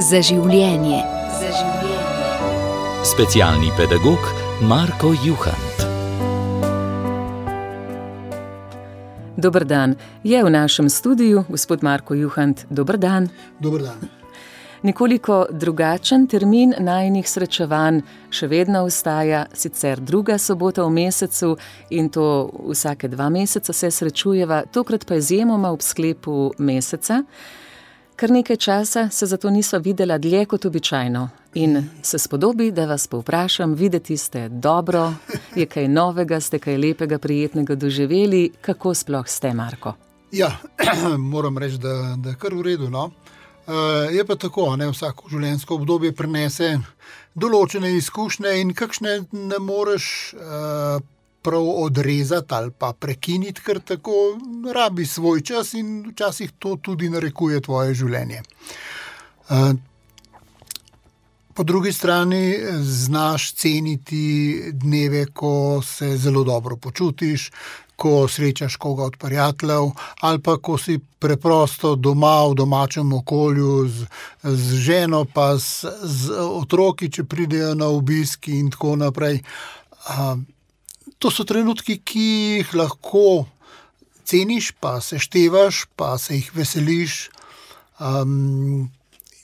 Za življenje. Specialni pedagog Marko Juhant. Dober dan. Je v našem studiu gospod Marko Juhant. Dober dan. Dober dan. Nekoliko drugačen termin najinih srečevanj še vedno ostaja, sicer druga sobota v mesecu in to vsake 2 meseca se srečujeva, tokrat pa izjemoma ob sklepu meseca. Kar nekaj časa se zato nisva videla dlje kot običajno in se spodobi, da vas povprašam, videti ste dobro, je kaj novega, ste kaj lepega, prijetnega doživeli, kako sploh ste, Marko? Ja, moram reči, da je kar v redu, no. Je pa tako, ne, vsako življenjsko obdobje prinese določene izkušnje in kakšne ne moreš prav odrezati ali pa prekiniti, ker tako rabi svoj čas in včasih to tudi narekuje tvoje življenje. Po drugi strani znaš ceniti dneve, ko se zelo dobro počutiš, ko srečaš koga od prijateljev ali pa ko si preprosto doma v domačem okolju z ženo pa z otroki, če pridejo na obisk in tako naprej. To so trenutki, ki jih lahko ceniš, pa seštevaš, pa se jih veseliš.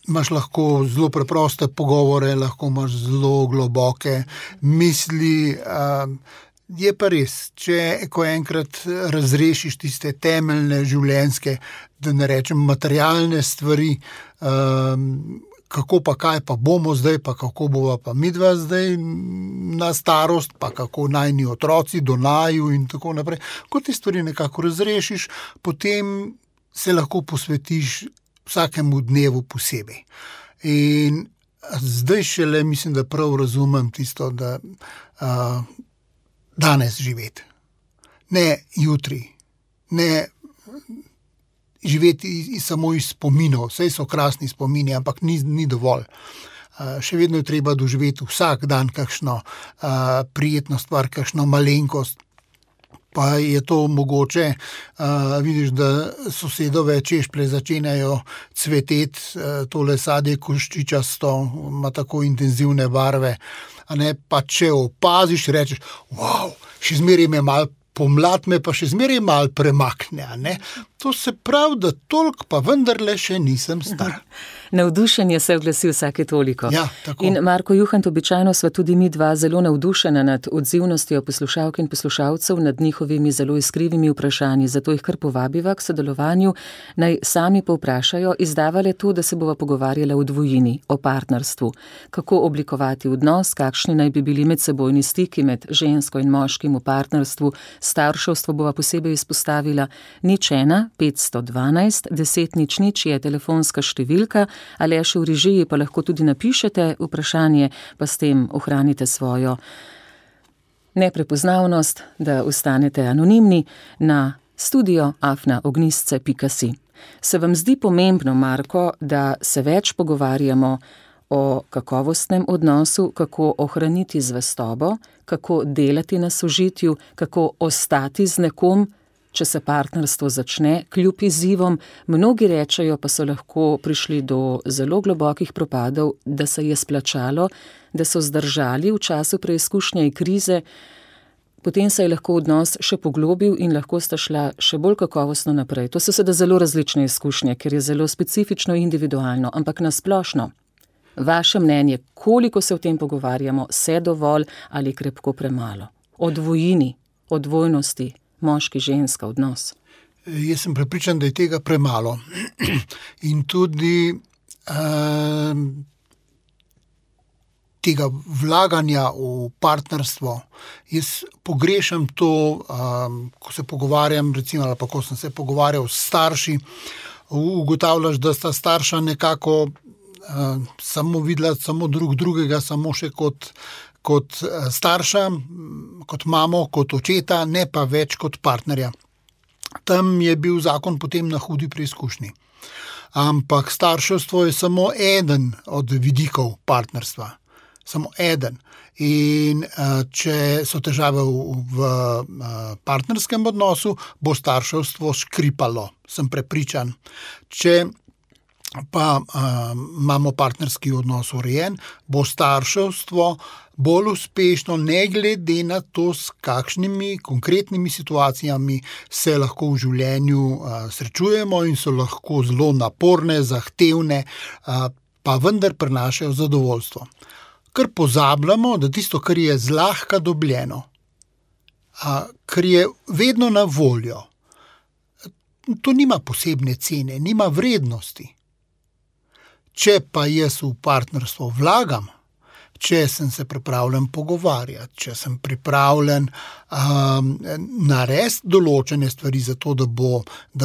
Imaš lahko zelo preproste pogovore, lahko imaš zelo globoke misli. Je pa res, ko enkrat razrešiš tiste temeljne življenjske, da ne rečem materialne stvari, kako pa kaj pa bomo zdaj, pa kako bova pa midva zdaj na starost, pa kako najni otroci do naju in tako naprej. Ko te stvari nekako razrešiš, potem se lahko posvetiš vsakemu dnevu posebej. In zdaj šele mislim, da prav razumem tisto, da danes živeti. Ne jutri, ne živeti samo iz spominov, saj so krasni spomini, ampak ni dovolj. Še vedno je treba doživeti vsak dan kakšno prijetno stvar, kakšno malenkost. Pa je to mogoče, vidiš, da sosedove češplje začenjajo cveteti, tole sadje koščičasto, ima tako intenzivne barve, a ne, pa če opaziš, rečeš, wow, še zmeraj me malo pomlad, me pa še zmeraj malo premakne, a ne. To se pravi, da toliko pa vendarle še nisem star. Navdušenje se oglasi vsake toliko. Ja, tako. In Marko Juhant, običajno sva tudi mi dva zelo navdušena nad odzivnostjo poslušalk in poslušalcev, nad njihovimi zelo iskrivimi vprašanji, zato jih kar povabiva k sodelovanju, naj sami povprašajo, izdavale to, da se bova pogovarjala o dvojini, o partnerstvu, kako oblikovati odnos, kakšni naj bi bili medsebojni stiki med žensko in moškim v partnerstvu, starševstvo bova posebej izpostavila, 01 512 10 00 je telefonska številka, ali še v režiji pa lahko tudi napišete vprašanje, pa s tem ohranite svojo neprepoznavnost, da ostanete anonimni na studio@ognisce.si. Se vam zdi pomembno, Marko, da se več pogovarjamo o kakovostnem odnosu, kako ohraniti zvestobo, kako delati na sožitju, kako ostati z nekom, če se partnerstvo začne, kljub izzivom, mnogi rečejo, pa so lahko prišli do zelo globokih propadov, da se je splačalo, da so zdržali v času preizkušnje in krize, potem se je lahko odnos še poglobil in lahko sta šla še bolj kakovostno naprej. To so seveda zelo različne izkušnje, ker je zelo specifično in individualno, ampak na splošno. Vaše mnenje, koliko se o tem pogovarjamo, se dovolj ali krepko premalo? O dvojini, o dvojnosti, moški, ženska, odnos. Jaz sem prepričan, da je tega premalo. In tudi tega vlaganja v partnerstvo. Jaz pogrešam to, ko se pogovarjam, recimo, ali pa ko sem se pogovarjal s starši, ugotavljaš, da sta starša nekako samo videla samo drugega, samo še kot starša, kot mamo, kot očeta, ne pa več kot partnerja. Tam je bil zakon potem na hudi preizkušnji. Ampak starševstvo je samo eden od vidikov partnerstva. Samo eden. In če so težave v partnerskem odnosu, bo starševstvo škripalo, sem prepričan. Če pa imamo partnerski odnos urejen, bo starševstvo bolj uspešno, ne glede na to, s kakšnimi konkretnimi situacijami se lahko v življenju srečujemo in so lahko zelo naporne, zahtevne, pa vendar prinašajo zadovoljstvo. Ker pozabljamo, da tisto, kar je zlahka dobljeno, kar je vedno na voljo, to nima posebne cene, nima vrednosti. Če pa jaz v partnerstvo vlagam, če sem se pripravljen pogovarjati, če sem pripravljen narediti določene stvari za to, da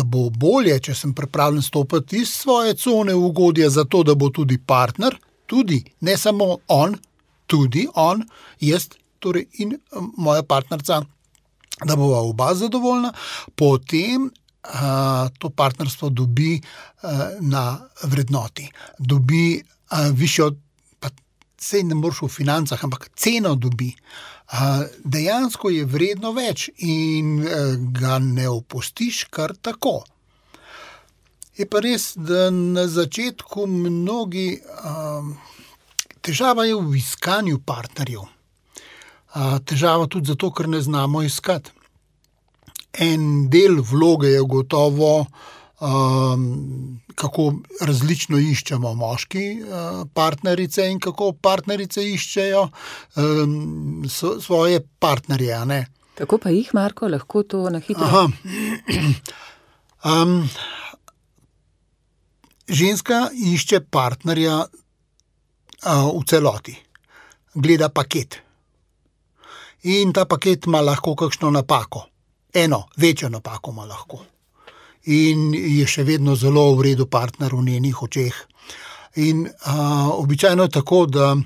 bo bolje, če sem pripravljen stopiti iz svoje cone ugodja za to, da bo tudi partner, tudi, ne samo on, tudi on, jaz torej in moja partnerca, da bova oba zadovoljna, potem to partnerstvo dobi na vrednoti, dobi višjo, pa sej ne moreš v financah, ampak ceno dobi. Dejansko je vredno več in ga ne opustiš kar tako. Je pa res, da na začetku mnogi težava je v iskanju partnerjev. Težava tudi zato, ker ne znamo iskati. En del vloge je gotovo, kako različno iščemo moški partnerice in kako partnerice iščejo svoje partnerje, a ne? Kako pa jih, Marko, lahko to na hitro? Ženska išče partnerja v celoti. Gleda paket. In ta paket ima lahko kakšno napako. Eno, večjo napako ima lahko. In je še vedno zelo v redu partner v njenih očeh. In običajno je tako, da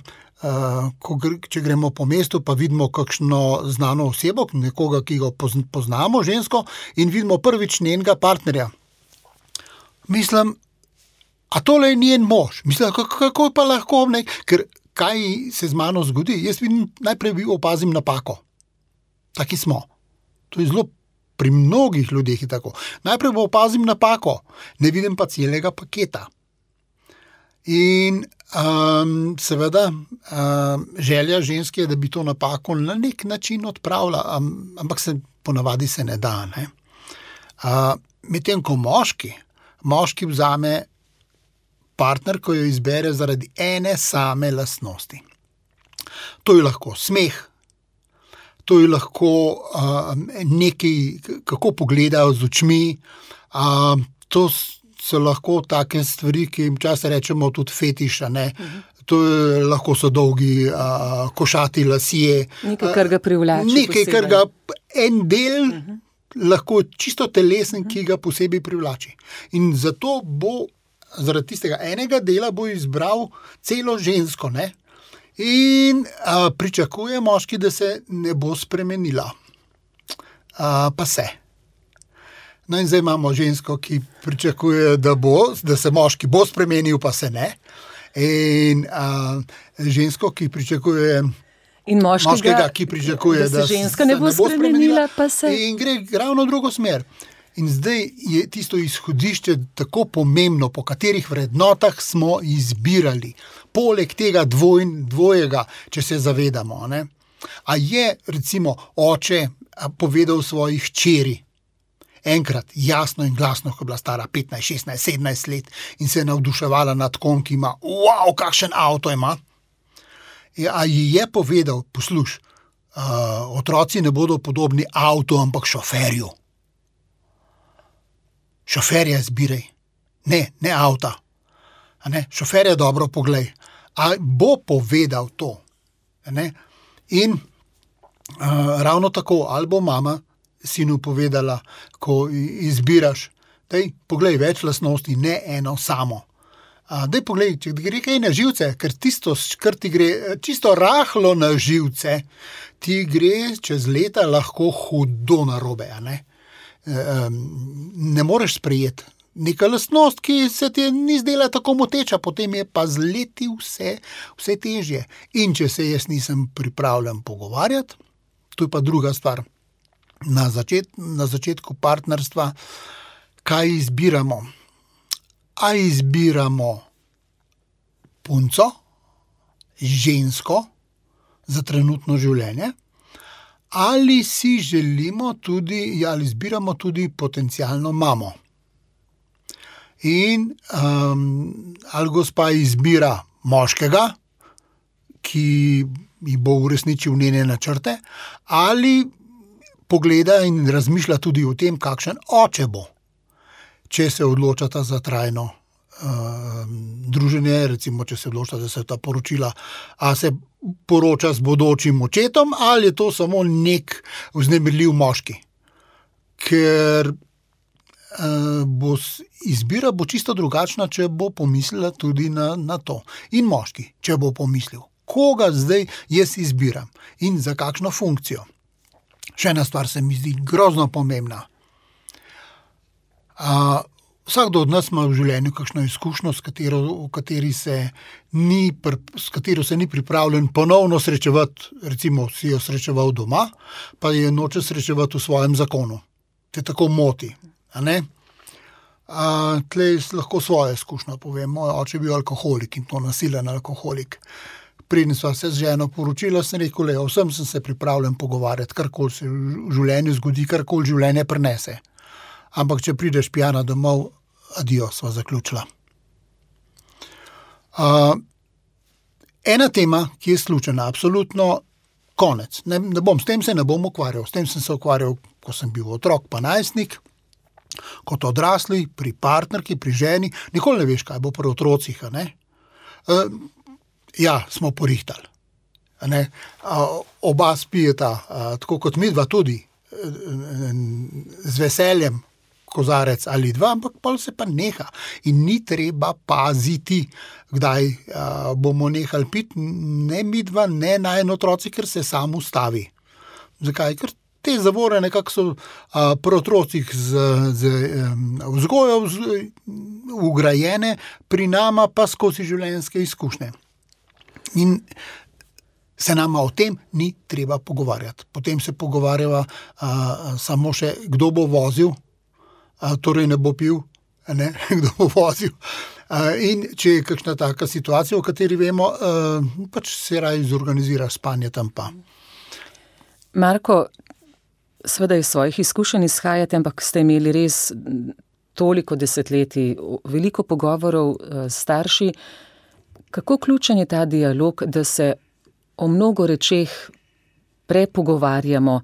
če gremo po mestu, pa vidimo kakšno znano osebo, nekoga, ki ga poznamo, žensko, in vidimo prvič njenega partnerja. Mislim, a tole je njen mož? Mislim, kako pa lahko, ne? Ker kaj se z mano zgodi? Jaz vidim, najprej opazim napako. Taki smo. To je zelo, pri mnogih ljudeh je tako. Najprej opazim napako, ne vidim pa celega paketa. In seveda želja ženske je, da bi to napako na nek način odpravila, ampak ponavadi se ne da. Ne? Medtem ko moški vzame partner, ko jo izbere zaradi ene same lastnosti. To je lahko smeh, to je lahko nekaj, kako pogledajo z očmi, to so lahko take stvari, ki jim včasih rečemo tudi fetiš, ne? To lahko so dolgi košati lasje. Nekaj, kar ga privlači. Nekaj, kar ga en del lahko čisto telesen, ki ga posebej privlači. In zato bo zaradi tistega enega dela bo izbral celo žensko, ne? In pričakuje moški, da se ne bo spremenila. Pa se. No in zdaj imamo žensko, ki pričakuje, da se moški bo spremenil, pa se ne. In žensko, ki pričakuje in moškega, ki pričakuje, da se ženska ne bo spremenila, pa se. In gre ravno v drugo smer. In zdaj je tisto izhodišče tako pomembno, po katerih vrednotah smo izbirali. Poleg tega dvojega, če se zavedamo. Ne? A je recimo oče povedal svoji hčeri enkrat jasno in glasno, ko je bila stara 15, 16, 17 let in se je navduševala nad kom, ki ima, wow, kakšen avto ima. A ji je povedal, posluš, otroci ne bodo podobni avtu, ampak šoferju. Šoferja izbiraj, ne avta. Šoferja dobro poglej. A bo povedal to? Ne? In ravno tako, ali bo mama sinu povedala, ko izbiraš, daj poglej več lastnosti, ne eno samo. Daj poglej, če gre kaj na živce, ker tisto, kar ti gre čisto rahlo na živce, ti gre čez leta lahko hudo narobe, ne? Ne moreš sprejeti. Neka lastnost, ki se ti ni zdela tako moteča, potem je pa z leti vse težje. In če se jaz nisem pripravljen pogovarjati, to je pa druga stvar. Na začetku partnerstva, kaj izbiramo? a izbiramo punco, žensko za trenutno življenje, ali si želimo tudi, ali izbiramo tudi potencialno mamo. In ali gospa izbira moškega, ki ji bo uresničil njene načrte, ali pogleda in razmišlja tudi o tem, kakšen oče bo, če se odločata za trajno druženje, recimo, če se odločita, da se ta poročila, a se poroča z bodočim očetom, ali je to samo nek vznemirljiv moški. Ker izbira bo čisto drugačna, če bo pomislila tudi na to. In moški, če bo pomislil, koga zdaj jaz izbiram in za kakšno funkcijo. Še ena stvar se mi zdi grozno pomembna. Vsakdo od nas ima v življenju kakšno izkušnjo, s katero se ni pripravljen ponovno srečevati, recimo si jo srečeval doma, pa je noče srečevati v svojem zakonu. Te tako moti. Tlej lahko svojo izkušnjo povem. Moj oče je bil alkoholik in to nasilen alkoholik. Preden sva se z ženo poročila, sem rekel, vsem sem se pripravljen pogovarjati, karkoli se v življenju zgodi, karkoli življenje prinese. Ampak če prideš pijana domov, adijo, sva zaključila. Ena tema, ki je izključena, absolutno konec. S tem se ne bom ukvarjal. S tem sem se ukvarjal, ko sem bil otrok pa najstnik, kot odrasli, pri partnerki, pri ženi. Nikoli ne veš, kaj bo pri otrocih. Ja, smo porihtali. Oba spijeta, tako kot midva tudi, z veseljem, kozarec ali dva, ampak pol se pa neha. In ni treba paziti, kdaj bomo nehali piti, ne midva, ne najin otroci, ker se sam ustavi. Zakaj? Ker te zavore nekako so pri otrocih z vzgojo ugrajene, pri nama pa skozi življenjske izkušnje. In se nama o tem ni treba pogovarjati. Potem se pogovarjava samo še, kdo bo vozil, torej ne bo pil, kdo bo vozil. In če je kakšna taka situacija, o kateri vemo, pač se raje zorganizira spanje tam pa. Marko, seveda iz svojih izkušenj izhajate, ampak ste imeli res toliko desetletij, veliko pogovorov s starši. Kako ključen je ta dialog, da se o mnogo rečeh prepogovarjamo,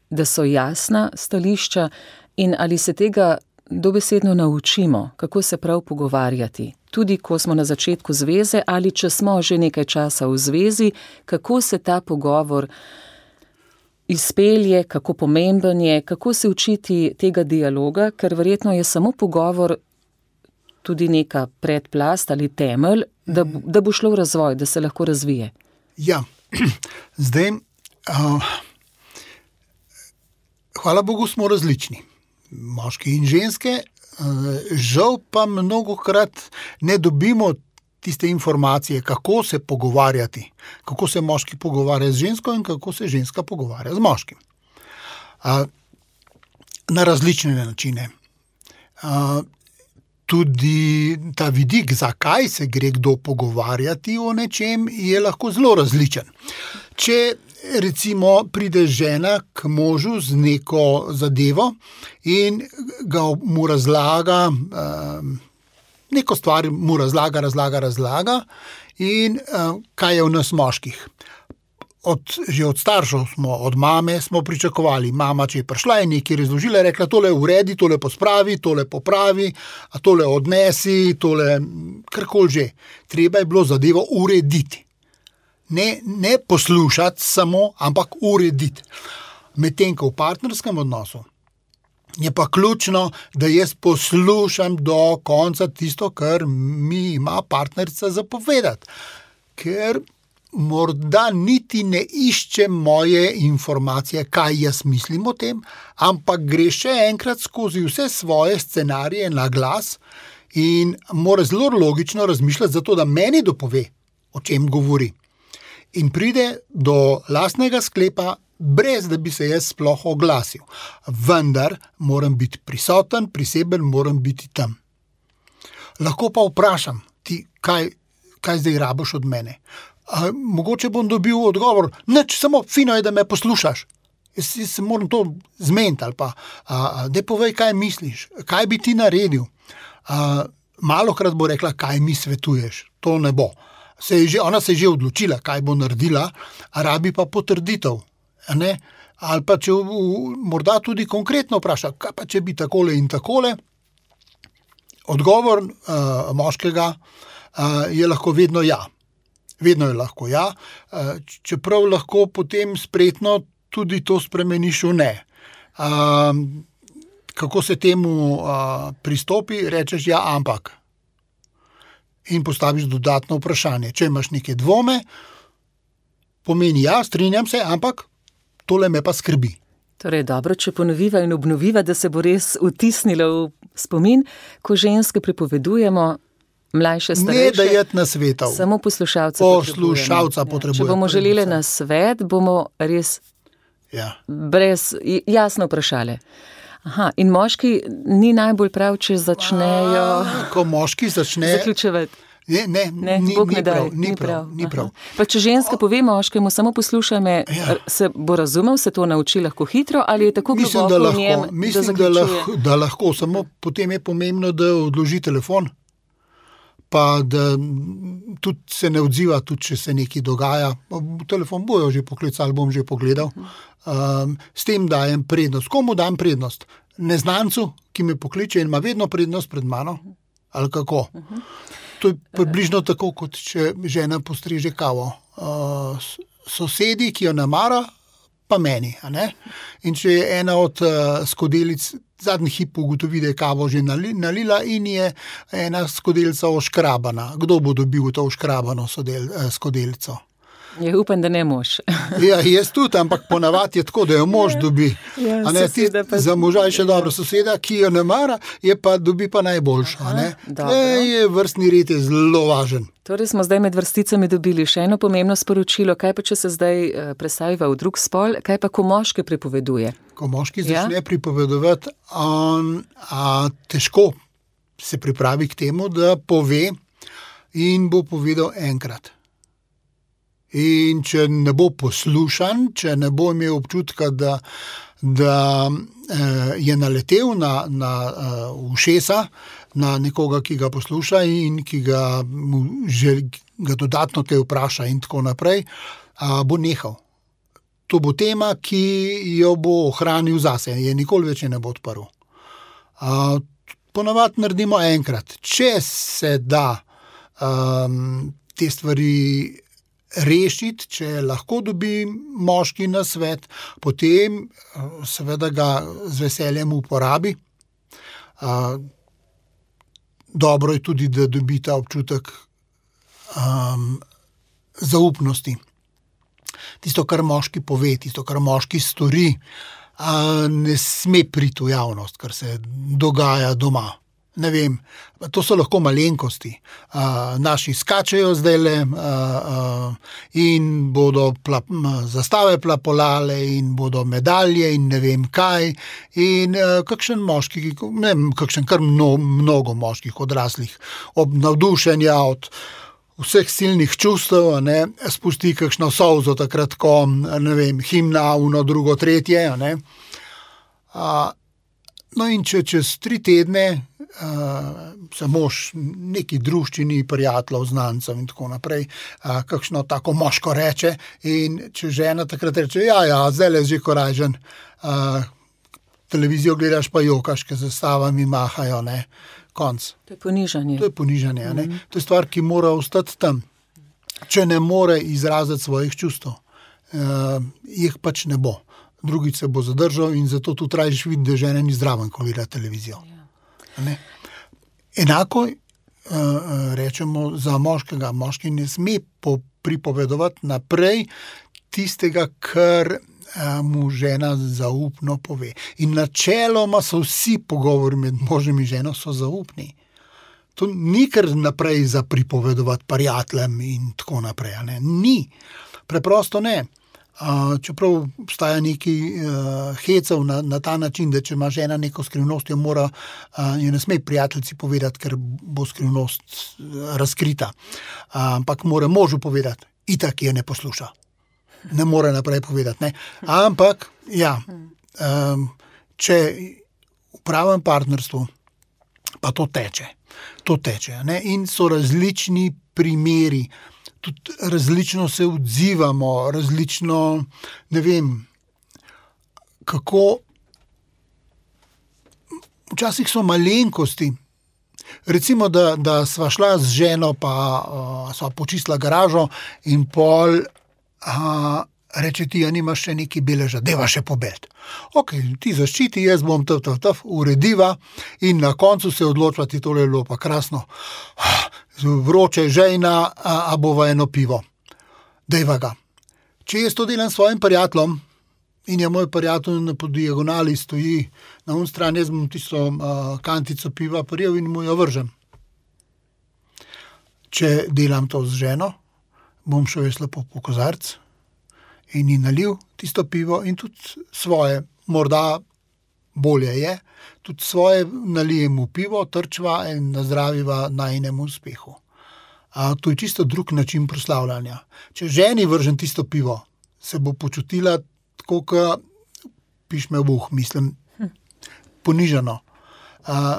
da so jasna stališča in ali se tega dobesedno naučimo, kako se prav pogovarjati. Tudi ko smo na začetku zveze ali če smo že nekaj časa v zvezi, kako se ta pogovor izpelje, kako pomemben je, kako se učiti tega dialoga, ker verjetno je samo pogovor tudi neka predplast ali temelj, da bo šlo v razvoj, da se lahko razvije. Ja, zdaj, hvala Bogu, smo različni. Moški in ženske, žal pa mnogokrat ne dobimo tiste informacije, kako se pogovarjati, kako se moški pogovarja z žensko in kako se ženska pogovarja z moškim. Na različne načine. Tudi ta vidik, zakaj se gre kdo pogovarjati o nečem, je lahko zelo različen. Če recimo pride žena k možu z neko zadevo in mu razlaga, neko stvar mu razlaga in kaj je v nas moških. Že od staršev od mame smo pričakovali. Mama, če je prišla in nekaj razložila, je rekla, tole uredi, tole pospravi, tole popravi, tole odnesi, tole karkoli že. Treba je bilo zadevo urediti. Ne poslušati samo, ampak urediti. Medtem ko v partnerskem odnosu je pa ključno, da jaz poslušam do konca tisto, kar mi ima partnerica zapovedati. Ker morda niti ne išče moje informacije, kaj jaz mislim o tem, ampak gre še enkrat skozi vse svoje scenarije na glas in mora zelo logično razmišljati, zato da meni dopove, o čem govori. In pride do lastnega sklepa, brez da bi se jaz sploh oglasil. Vendar moram biti prisoten, priseben, moram biti tam. lahko pa vprašam ti, kaj zdaj rabiš od mene. Mogoče bom dobil odgovor, nič, samo fino je, da me poslušaš. Jaz se moram to zmeniti ali pa, daj povej, kaj misliš, kaj bi ti naredil. Malokrat bo rekla, kaj mi svetuješ, to ne bo. Ona se je že odločila, kaj bo naredila, a rabi pa potrditev, ne? Ali pa če morda tudi konkretno vpraša, kaj pa če bi takole in takole. Odgovor moškega je lahko vedno ja. Vedno je lahko ja, čeprav lahko potem spretno tudi to spremeniš v ne. Kako se temu pristopi, rečeš ja, ampak. In postaviš dodatno vprašanje. Če imaš neke dvome, pomeni ja, strinjam se, ampak tole me pa skrbi. Torej, dobro, če ponoviva in obnoviva, da se bo res vtisnilo v spomin, ko ženske pripovedujemo, mlajše, starejše. Ne dajati na svetov. Samo poslušalca potrebujemo. Če bomo želeli na svet, bomo res brez jasno vprašali. Aha, in moški ni najbolj prav, če začnejo... Ko moški začne... Zaključevati. Ni prav. Pa če ženska pove moškemu, samo poslušaj me, se bo razumel, se to nauči lahko hitro, ali je tako globoko v njem, da zaključuje? Da lahko, samo potem je pomembno, da odloži telefon, pa da tudi se ne odziva, tudi če se nekaj dogaja. Telefon bojo že poklicali, bom že pogledal. S tem dajem prednost. Komu dam prednost? Neznancu, ki me pokliče in ima vedno prednost pred mano? Ali kako? To je približno tako, kot če žena postreže kavo. Sosedi, ki jo namara, pa meni. A ne? In če je ena od skodelic zadnji hip ugotovi, da je kavo že nalila in je ena skodelica oškrabana. Kdo bo dobil to oškrabano skodelico? Upam, da ne mož. Jaz tudi, ampak ponavadi je tako, da jo mož dobi. Za moža je še dobro soseda, ki jo ne mara, dobi pa najboljšo. Vrstni red je zelo važen. Torej smo zdaj med vrsticami dobili še eno pomembno sporočilo. Kaj pa, če se zdaj presaviva v drug spol, kaj pa, ko moški pripoveduje? Ko moški začne pripovedovati, težko se pripravi k temu, da pove in bo povedal enkrat. In če ne bo poslušan, če ne bo imel občutka, da je naletel na ušesa, na nekoga, ki ga posluša in ki ga dodatno te vpraša in tako naprej, bo nehal. To bo tema, ki jo bo ohranil zase, je nikoli več ne bo odprl. Ponavadi naredimo enkrat. Če se da te stvari rešiti, če lahko dobi moški na svet, potem seveda ga z veseljem uporabi. Dobro je tudi, da dobi ta občutek zaupnosti. Tisto, kar moški pove, tisto, kar moški stori, ne sme priti v javnost, kar se dogaja doma. Ne vem, to so lahko malenkosti. Naši skačejo zdajle in bodo zastave plapolale in bodo medalje in ne vem kaj. In kakšen moški, ne vem, kar mnogo moških odraslih, ob navdušenja od vseh silnih čustev, spusti kakšno solzo takrat, ko, ne vem, himna, uno, drugo, tretje, no in če čez 3 tedne se mož neki druščini, prijateljev, znancev in tako naprej, kakšno tako moško reče in če žena takrat reče, zdaj je že korajžen, televizijo gledaš pa jokaš, ker zastavami mahajo, konc. To je ponižanje. To je stvar, ki mora ostati tam. Če ne more izraziti svojih čustev, jih pač ne bo. Drugič se bo zadržal in zato tu tražiš videti, da žena ni zraven, ko gleda televizijo. Enako rečemo za moškega. Moški ne sme pripovedovati naprej tistega, kar mu žena zaupno pove. In načeloma so vsi pogovori med možem in ženo so zaupni. To ni kar naprej za pripovedovati prijateljem in tako naprej. Ni. Preprosto ne. Čeprav obstaja neki hecev na ta način, da če ima žena neko skrivnost, jo ne sme prijateljici povedati, ker bo skrivnost razkrita. Ampak mora možu povedati, itak je ne posluša. Ne more naprej povedati. Ne? Ampak, če v pravem partnerstvu, pa to teče. Ne? In so različni primeri, tudi različno se odzivamo, različno, ne vem, kako, včasih so malenkosti. Recimo, da sva šla z ženo, pa sva počistila garažo in pol reče ti, nimaš še neki beleža, deva še pobed. Ok, ti zaščiti, jaz bom urediva in na koncu se odločva, ti tole je bilo pa krasno. Vroče žejna, a bova eno pivo. Dejva ga. Če jaz to delam s svojim prijateljem in je moj prijatelj po diagonali stoji na un strani, jaz bom tisto kantico piva prijel in mu jo vržem. Če delam to z ženo, bom šel jaz lepo po kozarc in ji nalil tisto pivo in tudi svoje, morda bolje je, tudi svoje nalijem v pivo, trčva in nazdraviva najinemu uspehu. To je čisto drug način proslavljanja. Če ženi vržem tisto pivo, se bo počutila tako, piš me v buh, mislim, ponižano.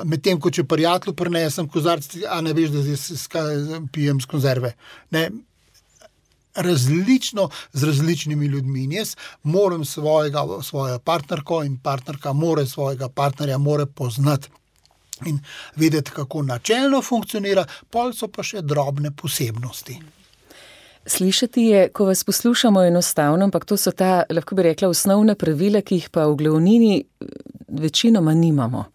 Medtem, ko če prijatelju prinesem kozarc, a ne veš, da zdaj pijem z konzerve. Ne, različno z različnimi ljudmi. In jaz moram svojo partnerko in partnerka more svojega partnerja more poznati in vedeti, kako načelno funkcionira, pol so pa še drobne posebnosti. Slišati je, ko vas poslušamo enostavno, ampak to so ta, lahko bi rekla, osnovna pravila, ki jih pa v glavnini večinoma nimamo.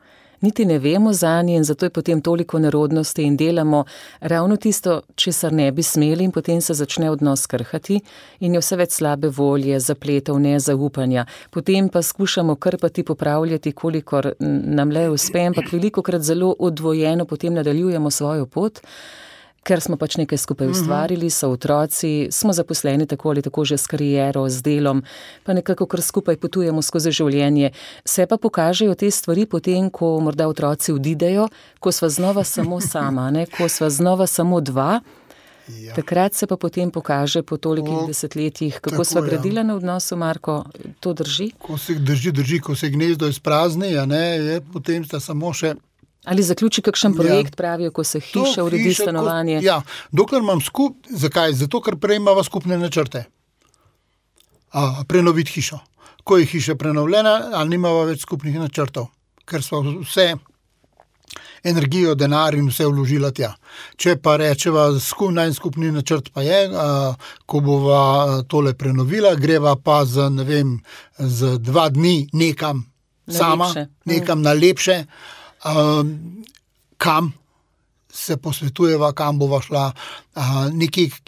Niti ne vemo zanje in zato je potem toliko nerodnosti in delamo ravno tisto, česar ne bi smeli in potem se začne odnos krhati in je vse več slabe volje, zapletov, nezaupanja. Potem pa skušamo krpati, popravljati, kolikor nam le uspe, ampak velikokrat zelo odvojeno potem nadaljujemo svojo pot, ker smo pač nekaj skupaj ustvarili, so otroci, smo zaposleni tako ali tako že s kariero, z delom, pa nekako kar skupaj potujemo skozi življenje. Se pa pokažejo te stvari potem, ko morda otroci odidejo, ko sva znova samo sama, ne? Ko sva znova samo dva, takrat se pa potem pokaže po tolikih desetletjih, kako sva gradila na odnosu, Marko, to drži? Ko se drži, ko se gnezdo izprazni, je potem sta samo še. Ali zaključi kakšen projekt, pravijo, ko se hiša uredi, stanovanje? Dokler imam zakaj? Zato, ker prej imava skupne načrte. Prenoviti hišo. Ko je hiša prenovljena, ali nimava več skupnih načrtov, ker sva vse energijo, denar in vse vložila tja. Če pa rečeva, najskupni načrt pa je, ko bova tole prenovila, greva pa za 2 dni nekam sama, nekam na lepše, kam se posvetujeva, kam bova šla,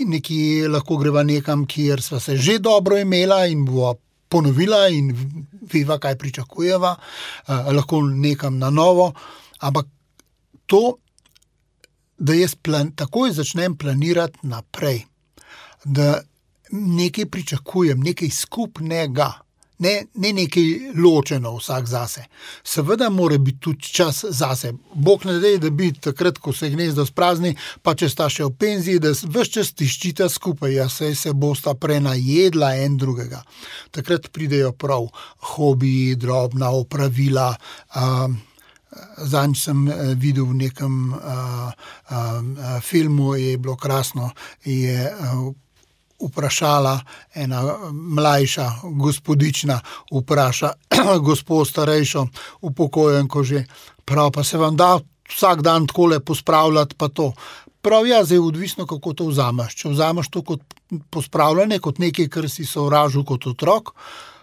neki lahko greva nekam, kjer sva se že dobro imela in bova ponovila in veva, kaj pričakujeva, lahko nekam na novo, ampak to, da jaz takoj začnem planirati naprej, da nekaj pričakujem, nekaj skupnega, ne nekaj ločeno vsak zase. Seveda mora biti tudi čas zase. Bog ne dej, da bi takrat, ko se gnezdo sprazni, pa če sta še v penziji, da ves čas tiščita skupaj, se bosta prenajedla en drugega. Takrat pridejo prav hobiji, drobna opravila. Zadnjič sem videl v nekem filmu, je bilo krasno, je vprašala ena mlajša gospodična, vpraša gospod starejšo, upokojenko že, prav, pa se vam da vsak dan takole pospravljati pa to. Prav, zdaj odvisno, kako to vzameš. Če vzameš to kot pospravljanje, kot nekaj, kar si sovražil kot otrok,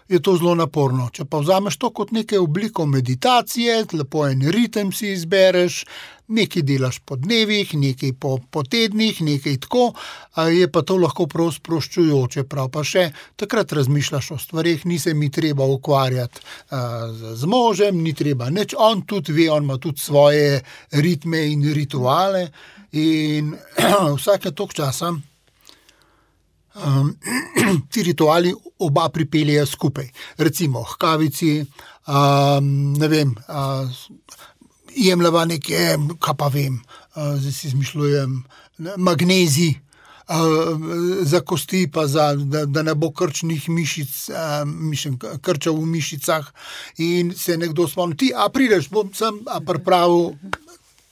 je to zelo naporno. Če pa vzameš to kot nekaj obliko meditacije, lepo en ritem si izbereš, nekaj delaš po dnevih, nekaj po tednih, nekaj tako, je pa to lahko prav sproščujoče, prav pa še takrat razmišljaš o stvareh, ni se mi treba ukvarjati z možem, ni treba nič, on tudi ve, on ima tudi svoje ritme in rituale in vsake toliko časa ti rituali oba pripeljejo skupaj. Recimo, h kavici, ne vem, jemljeva nekaj, kaj pa vem, zdaj si izmišljujem, magnezij, za kosti, pa da ne bo krčnih mišic, krčev v mišicah in se nekdo spomni, ti, prideš, bom sem pripravil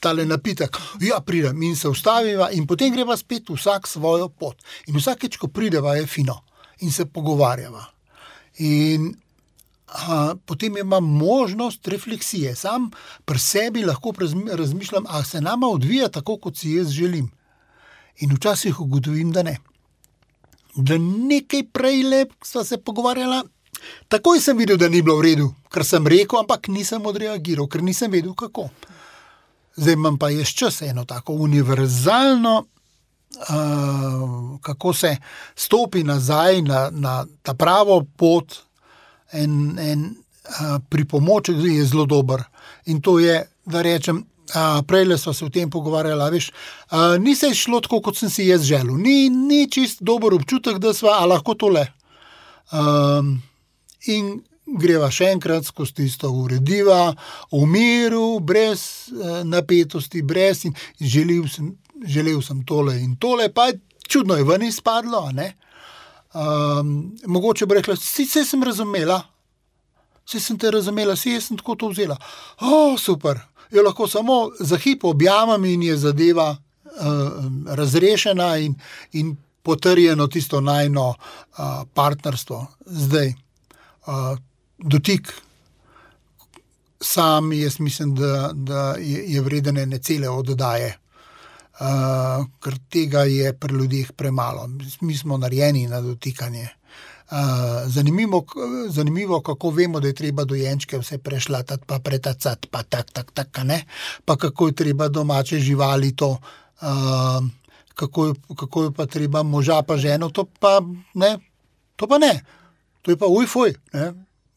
tale napitek, pridem in se ustaviva in potem greva spet vsak svojo pot. In vsakeč, ko prideva, je fino in se pogovarjava. In potem imam možnost refleksije. Sam pri sebi lahko razmišljam, se nama odvija tako, kot si jaz želim. In včasih ugotovim, da ne. Da nekaj prej lep sva se pogovarjala, takoj sem videl, da ni bilo v redu, ker sem rekel, ampak nisem odreagiral, ker nisem vedel, kako. Zdaj imam pa jaz čas eno tako univerzalno, kako se stopi nazaj na ta pravo pot, en pripomoček je zelo dober. In to je, da rečem, prejle sva se v tem pogovarjala, veš, ni se šlo tako, kot sem si jaz želel. Ni čist dober občutek, da sva, lahko tole. In greva še enkrat skozi tisto urediva, v miru, brez napetosti, brez in želel sem tole in tole, pa čudno je ven izpadlo, ne? Mogoče bi rekla, saj sem razumela, saj sem te razumela, saj jaz sem tako to vzela. Super, jo lahko samo za hip objamem in je zadeva razrešena in potrjeno tisto najino partnerstvo. Zdaj, dotik sam, jaz mislim, da je vreden ene cele oddaje, ker tega je pri ljudeh premalo. Mi smo narejeni na dotikanje. Zanimivo, kako vemo, da je treba dojenčke vse prešlatati, pa pretacati, pa tak, ne? Pa kako je treba domače živali to, kako je pa treba moža pa ženo, to pa ne. To je pa ujfuj, ne?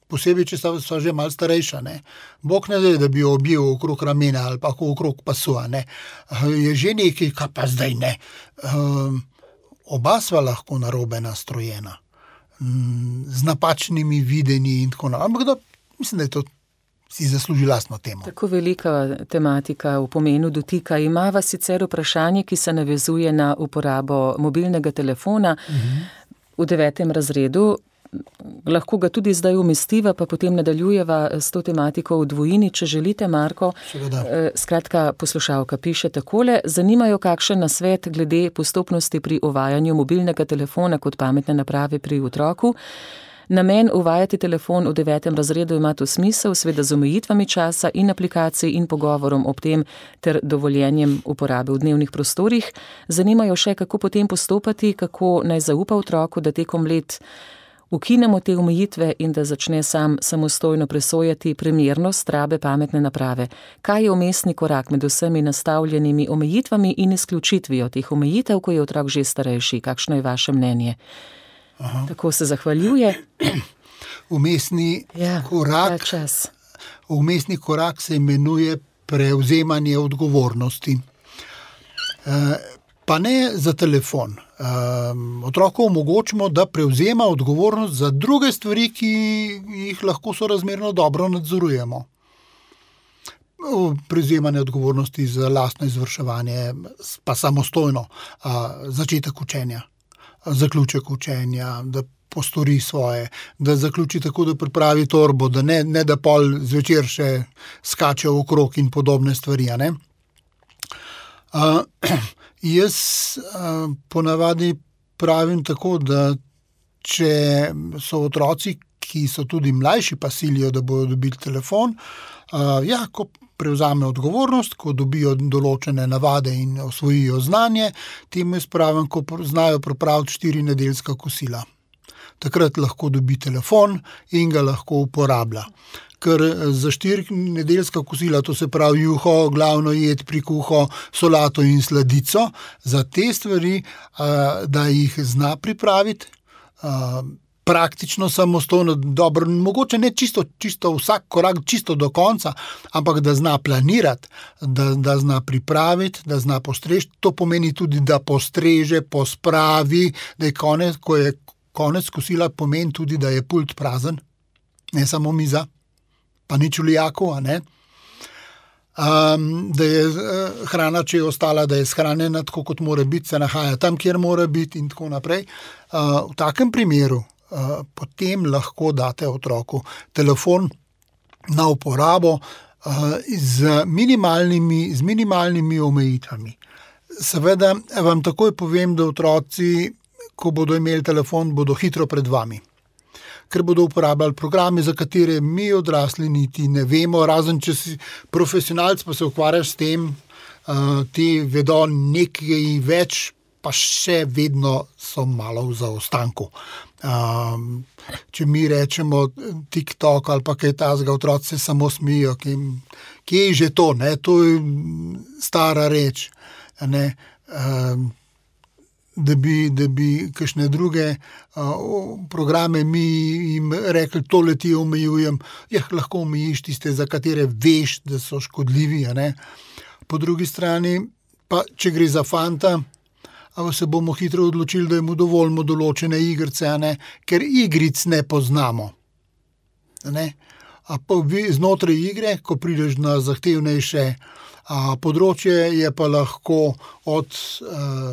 Posebej, če so že malo starejša, ne. Bog ne da bi jo objel okrog ramena ali pa okrog pasu, ne. Je že nekaj, kaj pa zdaj ne. Oba sva lahko narobe nastrojena, z napačnimi videnji in tako naprej. Ampak mislim, da je to si zasluži lastno temo. Tako velika tematika v pomenu dotika. Imava sicer vprašanje, ki se navezuje na uporabo mobilnega telefona v 9. razredu. Lahko ga tudi zdaj umestiva, pa potem nadaljujeva s to tematiko v dvojini, če želite, Marko. Skratka, poslušalka piše takole: zanimajo kakšen nasvet glede postopnosti pri uvajanju mobilnega telefona kot pametne naprave pri otroku. Namen uvajati telefon v 9. razredu ima to smisel, seveda z omejitvami časa in aplikacij in pogovorom ob tem ter dovoljenjem uporabe v dnevnih prostorih. Zanimajo še, kako potem postopati, kako naj zaupa otroku, da tekom let ukinemo te omejitve in da začne sam samostojno presojati primernost rabe pametne naprave. Kaj je vmesni korak med vsemi nastavljenimi omejitvami in izključitvijo teh omejitev, ko je otrok že starejši? Kakšno je vaše mnenje? Tako se zahvaljuje. Vmesni korak se imenuje prevzemanje odgovornosti. Pa ne za telefon. Otroku omogočimo, da prevzema odgovornost za druge stvari, ki jih lahko sorazmerno dobro nadzorujemo. Prevzemanje odgovornosti za lastno izvrševanje, pa samostojno, začetek učenja, zaključek učenja, da postori svoje, da zaključi tako, da pripravi torbo, da ne da pol zvečer še skače okrog in podobne stvari, ne? Jaz ponavadi pravim tako, da če so otroci, ki so tudi mlajši, pa silijo, da bodo dobili telefon, ko prevzame odgovornost, ko dobijo določene navade in osvojijo znanje, temu jaz pravim, ko znajo pripraviti 4 nedeljska kosila. Takrat lahko dobi telefon in ga lahko uporablja. Ker za 4 nedeljska kosila, to se pravi juho, glavno jed, prikuho, solato in sladico, za te stvari, da jih zna pripraviti, praktično samostojno, dobro, mogoče ne čisto vsak korak, čisto do konca, ampak da zna planirati, da zna pripraviti, da zna postrežiti. To pomeni tudi, da postreže, pospravi, da je konec, ko je konec kosila, pomeni tudi, da je pult prazen, ne samo miza, pa nič v lijaku, a ne. Da je hrana, če je ostala, da je shranjena tako, kot mora biti, se nahaja tam, kjer mora biti in tako naprej. V takem primeru potem lahko date otroku telefon na uporabo z minimalnimi omejitvami. Seveda vam takoj povem, da otroci, ko bodo imeli telefon, bodo hitro pred vami. Ker bodo uporabljali programe, za katere mi odrasli niti ne vemo, razen če si profesionalc, pa se ukvarjaš s tem, ti vedo nekaj več, pa še vedno so malo v zaostanku. Če mi rečemo TikTok ali pa kaj tazga, otroci se samo smijo, kje je že to, ne? To je stara reč, ne? Da bi kakšne druge programe mi jim rekli, tole ti omejujem, lahko omejiš tiste, za katere veš, da so škodljivi, ne? Po drugi strani, pa če gre za fanta, se bomo hitro odločili, da mu dovolimo določene igrice, ne? Ker igric ne poznamo. Ne? Pa znotraj igre, ko prideš na zahtevnejše področje, je pa lahko od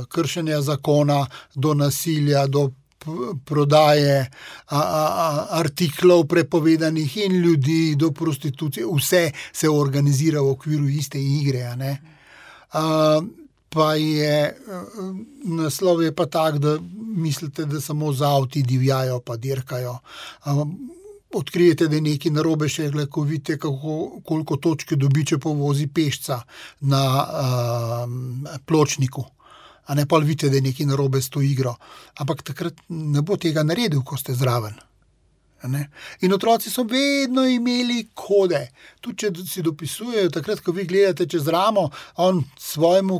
kršenja zakona do nasilja, do prodaje artiklov prepovedanih in ljudi, do prostitucije. Vse se organizira v okviru iste igre. Ne? Pa je naslov je pa tak, da mislite, da samo z avti divjajo pa dirkajo. Odkrijete, da je nekaj narobe, še ko vidite, koliko točke dobi, če povozi pešca na pločniku. A ne pa vidite, da je nekaj narobe s to igro. Ampak takrat ne bo tega naredil, ko ste zraven. Ne? In otroci so vedno imeli kode. Tudi, če si dopisujejo, takrat, ko vi gledate čez ramo, on svojemu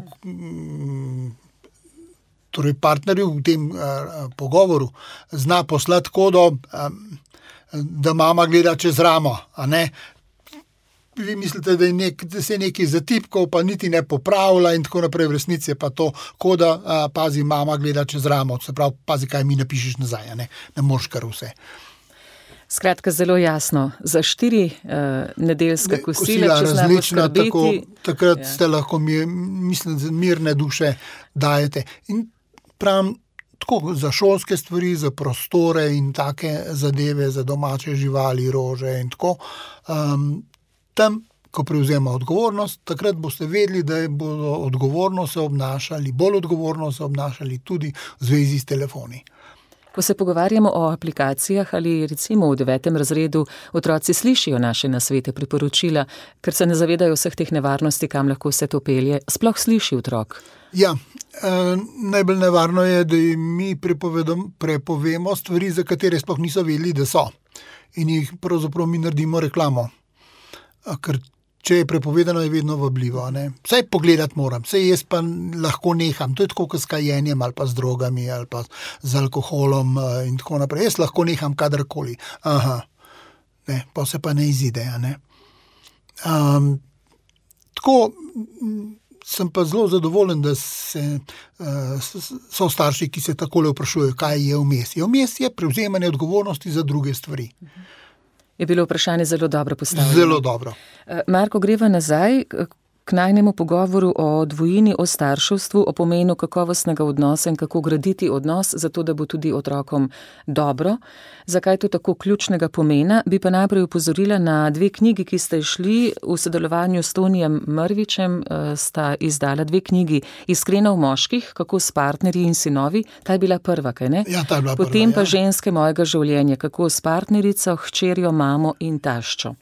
torej partnerju v tem pogovoru zna poslati kodo, da mama gleda čez ramo, a ne? Vi mislite, da se je nekaj zatipkal, pa niti ne popravlja in tako naprej, v resnici je pa to koda, pazi, mama gleda čez ramo, se pravi, pazi, kaj mi napišeš nazaj, a ne? Ne moreš kar vse. Skratka, zelo jasno, za 4 nedeljska kosila, če znamo skrbeti. Takrat ste lahko, mislim, mirne duše dajete. In pravim, tako za šolske stvari, za prostore in take zadeve, za domače živali, rože in tako. Tam, ko prevzema odgovornost, takrat boste vedeli, da bodo bolj odgovorno se obnašali tudi v zvezi s telefoni. Ko se pogovarjamo o aplikacijah ali recimo v 9. razredu, otroci slišijo naše nasvete, priporočila, ker se ne zavedajo vseh teh nevarnosti, kam lahko vse to pelje. Sploh sliši otrok. Ja, najbolj nevarno je, da mi prepovemo stvari, za katere sploh niso vedeli, da so. In jih pravzaprav mi naredimo reklamo. Ker če je prepovedano, je vedno vabljivo. Ne? Vsaj pogledati moram, vsaj jaz pa lahko neham. To je tako, kot s kajenjem ali pa z drogami ali pa z alkoholom in tako naprej. Jaz lahko neham kadarkoli. Ne, pa se pa ne izide. Ne? Tako sem pa zelo zadovoljen, da so starši, ki se takole vprašujejo, kaj je vmes. Vmes je prevzemanje odgovornosti za druge stvari. Je bilo vprašanje zelo dobro postavljeno. Zelo dobro. Marko, greva nazaj k najnemu pogovoru o dvojini, o starševstvu, o pomenu kakovostnega odnosa in kako graditi odnos, zato da bo tudi otrokom dobro. Zakaj je to tako ključnega pomena? Bi pa najprej upozorila na 2 knjigi, ki ste šli v sodelovanju s Tonijem Mrvičem, sta izdala 2 knjigi. Iskreno v moških, kako s partnerji in sinovi. Ta je bila prva, kaj ne? Ja, ta je bila prva. Potem pa Ženske mojega življenja, kako s partnerico, hčerjo, mamo in taščo.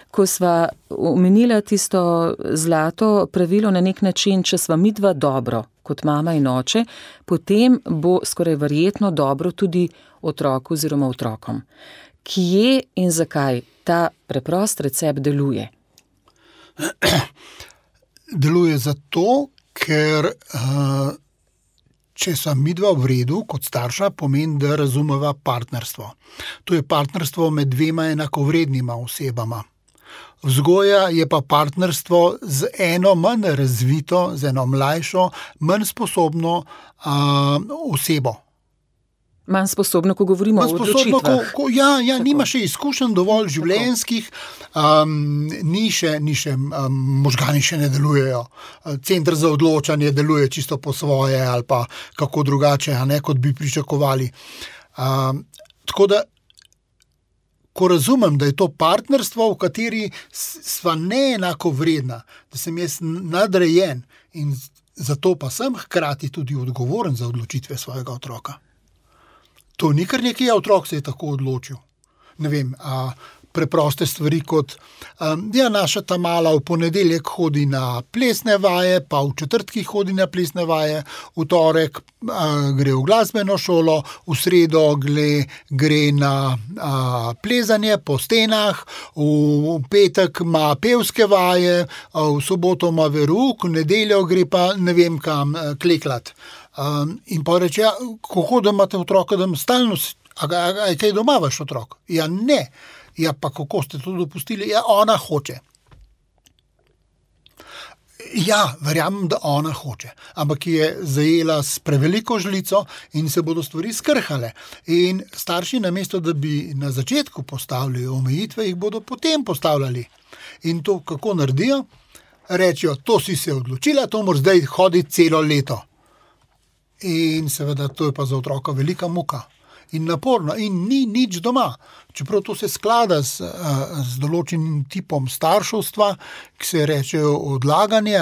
Ko sva omenila tisto zlato pravilo na nek način, če sva midva dobro, kot mama in oče, potem bo skoraj verjetno dobro tudi otroku oziroma otrokom. Kje in zakaj ta preprost recept deluje? Deluje zato, ker če so midva v redu kot starša, pomeni, da razumeva partnerstvo. To je partnerstvo med dvema enakovrednima osebama. Vzgoja je pa partnerstvo z eno manj razvito, z eno mlajšo, manj sposobno osebo. Manj sposobno, ko govorimo o odločitvah. Nima še izkušenj dovolj življenjskih, možgani še ne delujejo. Center za odločanje deluje čisto po svoje ali pa kako drugače, kot bi pričakovali. Tako da, ko razumem, da je to partnerstvo, v kateri sva neenako vredna, da sem jaz nadrejen in zato pa sem hkrati tudi odgovoren za odločitve svojega otroka. To ni kar nekaj, otrok se je tako odločil. Ne vem, preproste stvari kot, naša ta mala v ponedeljek hodi na plesne vaje, pa v četrtkih hodi na plesne vaje, v torek gre v glasbeno šolo, v sredo gre na plezanje po stenah, v petek ima pevske vaje, v soboto ima verouk, v nedeljo gre pa ne vem kam kleklat. In pa reče, kako da imate otroka, da stalno, a kaj doma vaš otrok? Ja, ne. Ja, pa kako ste to dopustili? Ja, ona hoče. Ja, verjamem, da ona hoče. Ampak je zajela s preveliko žlico in se bodo stvari skrhale. In starši namesto, da bi na začetku postavili omejitve, jih bodo potem postavljali. In to kako naredijo? Rečejo, to si se odločila, to moraš zdaj hoditi celo leto. In seveda to je pa za otroka velika muka in naporno in ni nič doma. Čeprav to se sklada z določenim tipom starševstva, ki se reče odlaganje,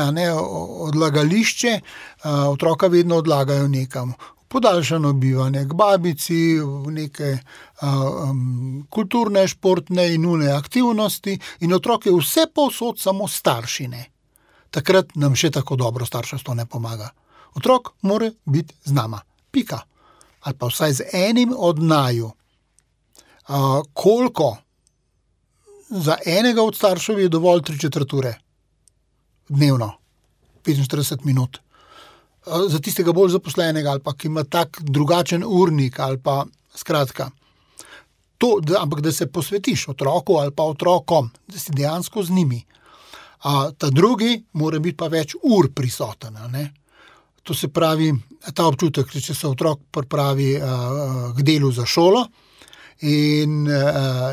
odlagališče, otroka vedno odlagajo nekam. Podaljšano bivanje k babici, v neke kulturne, športne in une aktivnosti in otrok je vse povsod samo staršine. Takrat nam še tako dobro starševstvo ne pomaga. Otrok mora biti z nama. Pika. Ali pa vsaj z enim od naju. Koliko? Za enega od staršev je dovolj 3/4 ure. Dnevno. 45 minut. Za tistega bolj zaposlenega ali pa ki ima tak drugačen urnik ali pa skratka. Ampak da se posvetiš otroku ali pa otrokom, da si dejansko z njimi. Ta drugi mora biti pa več ur prisoten, ne? To se pravi, ta občutek, če se otrok pripravi k delu za šolo in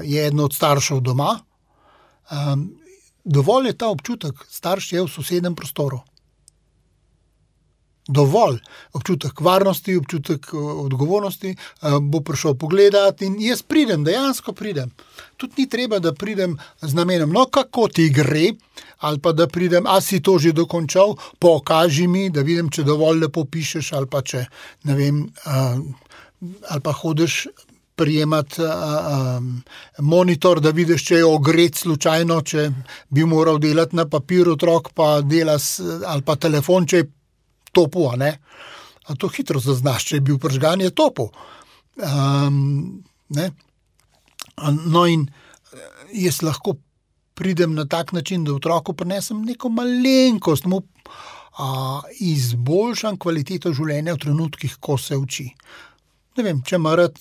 je eden od staršev doma, dovolj je ta občutek, starš je v sosednjem prostoru. Dovolj občutek varnosti, občutek odgovornosti, bo prišel pogledati in jaz dejansko pridem. Tudi ni treba, da pridem z namenom, kako ti gre, ali pa da pridem, si to že dokončal, pokaži mi, da vidim, če dovolj lepo pišeš, ali pa če, ne vem, ali pa hodiš prijemati monitor, da vidiš, če je ogret slučajno, če bi moral delati na papir otrok, pa dela ali pa telefon, če je topu, a ne? A to hitro zaznaš, če je bil pržgan, je topu. Ne? No in jaz lahko pridem na tak način, da otroku prinesem neko malenkost, mu izboljšam kvaliteto življenja v trenutkih, ko se uči. Ne vem, če ima rad,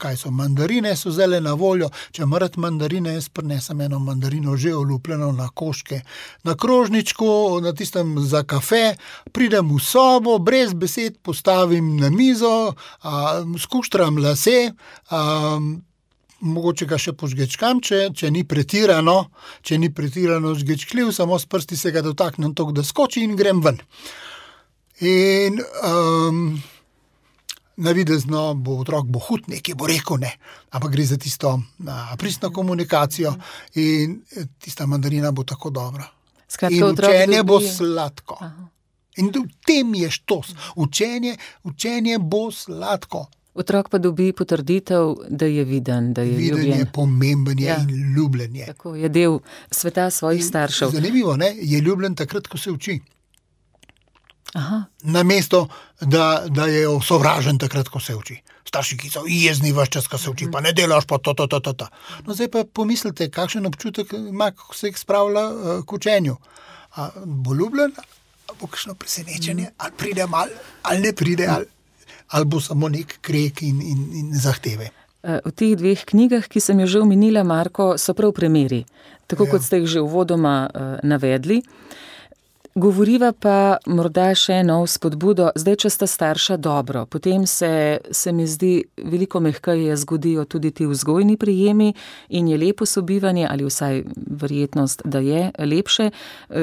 kaj so mandarine, so zdaj na voljo, če ima rad mandarine, jaz prinesem eno mandarino že olupljeno na koške, na krožničku, na tistem za kafe, pridem v sobo, brez besed postavim na mizo, skuštram lase, mogoče ga še požgečkam, če ni pretirano žgečkljiv, samo s prsti se ga dotaknem toliko, da skoči in grem ven. In navidezno otrok bo hud, nekaj bo rekel, ne, ampak gre za tisto pristno komunikacijo in tista mandarina bo tako dobra. Skratka, in učenje bo sladko. Aha. In v tem je štos. Učenje bo sladko. Otrok pa dobi potrditev, da je viden, da je ljubljen. Viden je, pomemben je in ljubljen je. Tako, je del sveta svojih staršev. Zanimivo, ne, je ljubljen takrat, ko se uči. Aha. Namesto, da je sovražen takrat, ko se uči. Starši, ki so jezni ves čas, ko se uči, pa ne delaš pa to. No, zdaj pa pomislite, kakšen občutek ima, ko se jih spravlja k učenju. Bo ljubljen bo kakšno presenečenje, ali pride mal, ali ne pride, ali bo samo nek krek in zahteve. V teh 2 knjigah, ki sem jo že omenila, Marko, so prav primeri, tako kot ste jih že uvodoma navedli. Govoriva pa morda še eno spodbudo, zdaj, če sta starša dobro, potem se mi zdi veliko mehkeje zgodijo tudi ti vzgojni prijemi in je lepo sobivanje, ali vsaj verjetnost, da je lepše,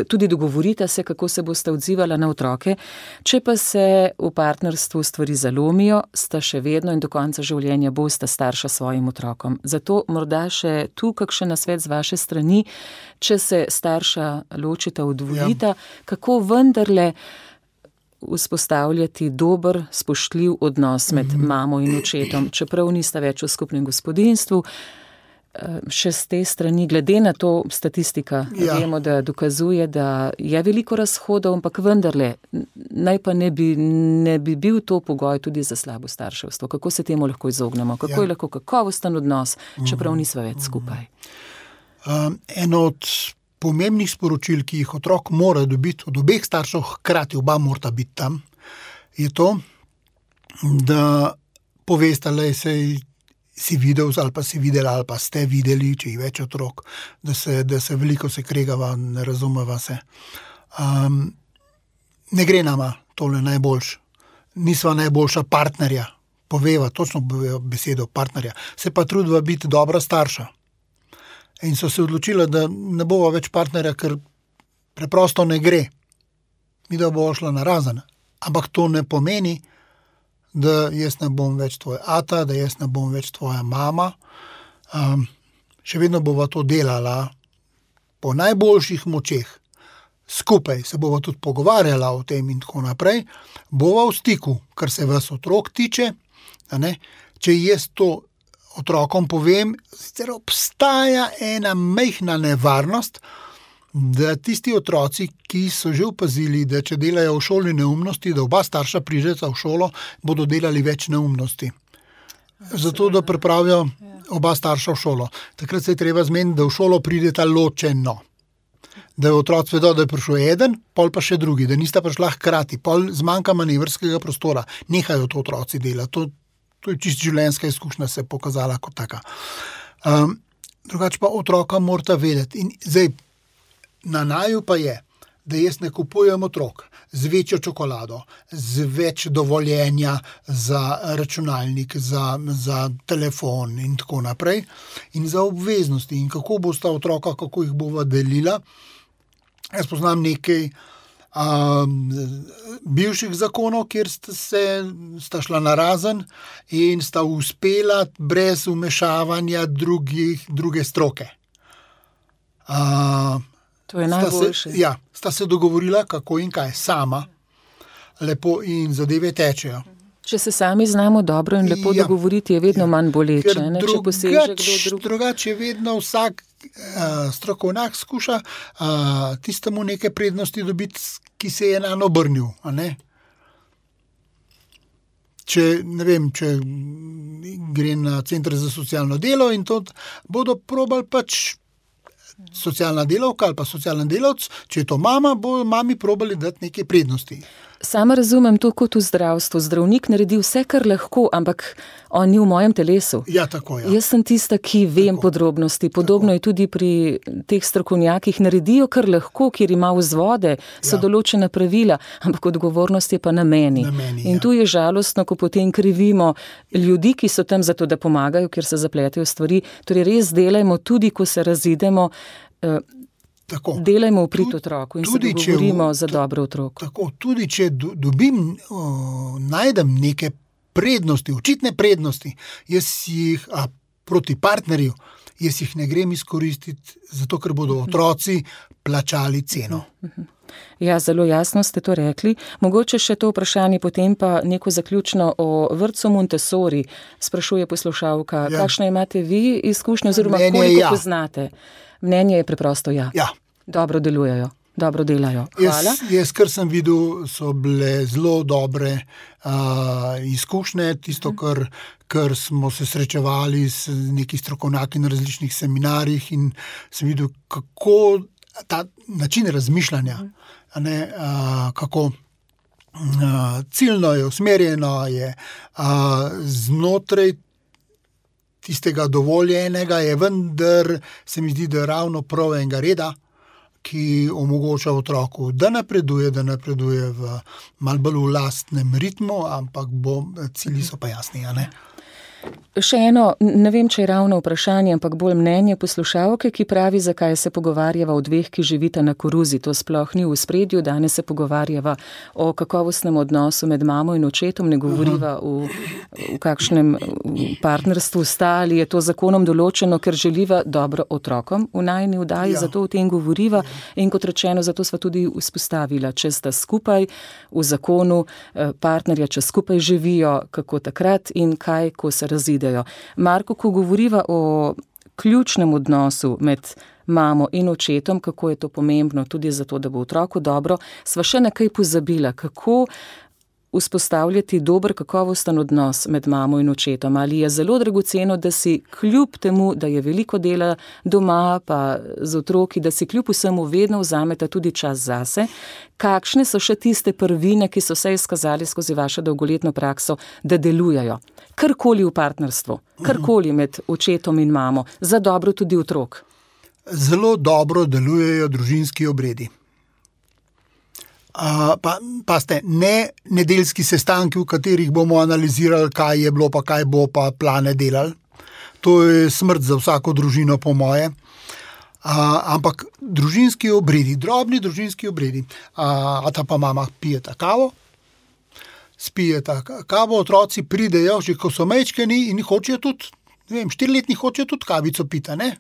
tudi dogovorita se, kako se boste odzivala na otroke. Če pa se v partnerstvu stvari zalomijo, sta še vedno in do konca življenja bosta starša svojim otrokom. Zato morda še tu kakšen nasvet z vaše strani, če se starša ločita, odvojita, kako vendarle vzpostavljati dober, spoštljiv odnos med mamo in očetom, čeprav nista več v skupnem gospodinjstvu. Še z te strani, glede na to statistika, vemo, da dokazuje, da je veliko razhodov, ampak vendarle, naj pa ne bi bil to pogoj tudi za slabo starševstvo. Kako se temu lahko izognemo? Kako je lahko kakovosten odnos, čeprav nisva več skupaj? Eno od pomembnih sporočil, ki jih otrok mora dobiti od obeh staršev, hkrati oba morata biti tam, je to, da povesta, da si videl ali pa si videla ali pa ste videli, če je več otrok, da se veliko se kregava, ne razumeva se. Ne gre nama tole najboljš. Nisva najboljša partnerja. Poveva, točno besedo partnerja. Se pa trudva biti dobra starša. In so se odločila, da ne bova več partnerja, ker preprosto ne gre. Mi da bo šla narazen. Ampak to ne pomeni, da jaz ne bom več tvoj ata, da jaz ne bom več tvoja mama. Še vedno bova to delala po najboljših močeh. Skupaj se bova tudi pogovarjala o tem in tako naprej. Bova v stiku, kar se vas otrok tiče. Če jaz to otrokom povem, sicer obstaja ena majhna nevarnost, da tisti otroci, ki so že opazili, da če delajo v šoli neumnosti, da oba starša prideta v šolo, bodo delali več neumnosti. Zato, da pripravijo oba starša v šolo. Takrat se je treba zmeniti, da v šolo prideta ločeno. Da je otroci vedo, da je prišel eden, pol pa še drugi, da nista prišla hkrati, pol zmanjka manevrskega prostora. Nehajo to otroci delati. To je čist življenjska izkušnja se pokazala kot taka. Drugače pa otroka morata vedeti. In zdaj, na naju pa je, da jaz ne kupujem otrok z večjo čokolado, z več dovoljenja za računalnik, za telefon in tako naprej, in za obveznosti. In kako bosta otroka, kako jih bova delila. Jaz poznam nekaj bivših zakonov, kjer sta šla narazen in sta uspela brez vmešavanja druge stroke. To je najboljše. Sta se dogovorila, kako in kaj, sama, lepo in zadeve tečejo. Če se sami znamo dobro in lepo dogovoriti, je vedno manj boleče. Drugače je vedno vsak strokovnjak skuša tistemu neke prednosti dobiti, ki se je nanj obrnil. Če gre na center za socialno delo in to bodo probali pač socialna delavka ali pa socialni delavc, če je to mama, bo mami probali dati neke prednosti. Sama razumem to kot v zdravstvu. Zdravnik naredi vse, kar lahko, ampak on ni v mojem telesu. Ja, tako je. Jaz sem tista, ki vem podrobnosti. Podobno je tudi pri teh strokovnjakih. Naredijo, kar lahko, kjer ima vzvode, so določena pravila, ampak odgovornost je pa na meni. In tu je žalostno, ko potem krivimo ljudi, ki so tam zato, da pomagajo, ker se zapletejo stvari. Torej res delajmo tudi, ko se razidemo, delajmo v prid otroku in se dogovorimo za dobro otrok. Tako, tudi če najdem neke prednosti, očitne prednosti, jaz jih proti partnerju, jaz jih ne grem izkoristiti, zato ker bodo otroci plačali ceno. Ja, zelo jasno ste to rekli. Mogoče še to vprašanje, potem pa neko zaključno o vrtcu Montessori, sprašuje poslušalka. Kakšno imate vi izkušnje oziroma koliko poznate? Mnenje je preprosto ja. Dobro delujejo, dobro delajo. Hvala. Jaz, kar sem videl, so bile zelo dobre izkušnje. Tisto, kar smo se srečevali s neki strokovnjaki na različnih seminarjih in sem videl, kako ta način razmišljanja kako ciljno je usmerjeno, je znotraj tistega dovoljenega, je vendar se mi zdi, da je ravno prav enega reda, ki omogoča otroku, da napreduje v malo bolj v lastnem ritmu, ampak cilji so pa jasni, a ne? Še eno, ne vem, če je ravno vprašanje, ampak bolj mnenje poslušalke, ki pravi, zakaj se pogovarjava o dveh, ki živita na koruzi. To sploh ni v spredju, danes se pogovarjava o kakovostnem odnosu med mamo in očetom, ne govoriva v kakšnem partnerstvu sta, ali je to zakonom določeno, ker želiva dobro otrokom v najini vdaji, zato o tem govoriva in kot rečeno, zato sva tudi vzpostavila, če sta skupaj v zakonu partnerja, če skupaj živijo, kako takrat in kaj, ko se razidejo. Marko, ko govoriva o ključnem odnosu med mamo in očetom, kako je to pomembno tudi zato, da bo otroku dobro, sva še nekaj pozabila, kako vzpostavljati dober, kakovosten odnos med mamo in očetom. Ali je zelo dragoceno, da si kljub temu, da je veliko dela doma, pa z otroki, da si kljub vsemu vedno vzameta tudi čas zase. Kakšne so še tiste prvine, ki so se izkazali skozi vašo dolgoletno prakso, da delujejo? Karkoli v partnerstvu, karkoli med očetom in mamo, za dobro tudi otrok. Zelo dobro delujejo družinski obredi. Paste, ne nedeljski sestanki, v katerih bomo analizirali, kaj je bilo, pa kaj bo, pa plane delali. To je smrt za vsako družino, po moje. Ampak družinski obredi, drobni družinski obredi. Ta pa mama pijeta kavo, spijeta kavo, otroci pridejo, že ko so majčkeni in hočejo tudi, 4-letni hočejo tudi kavico pita, ne?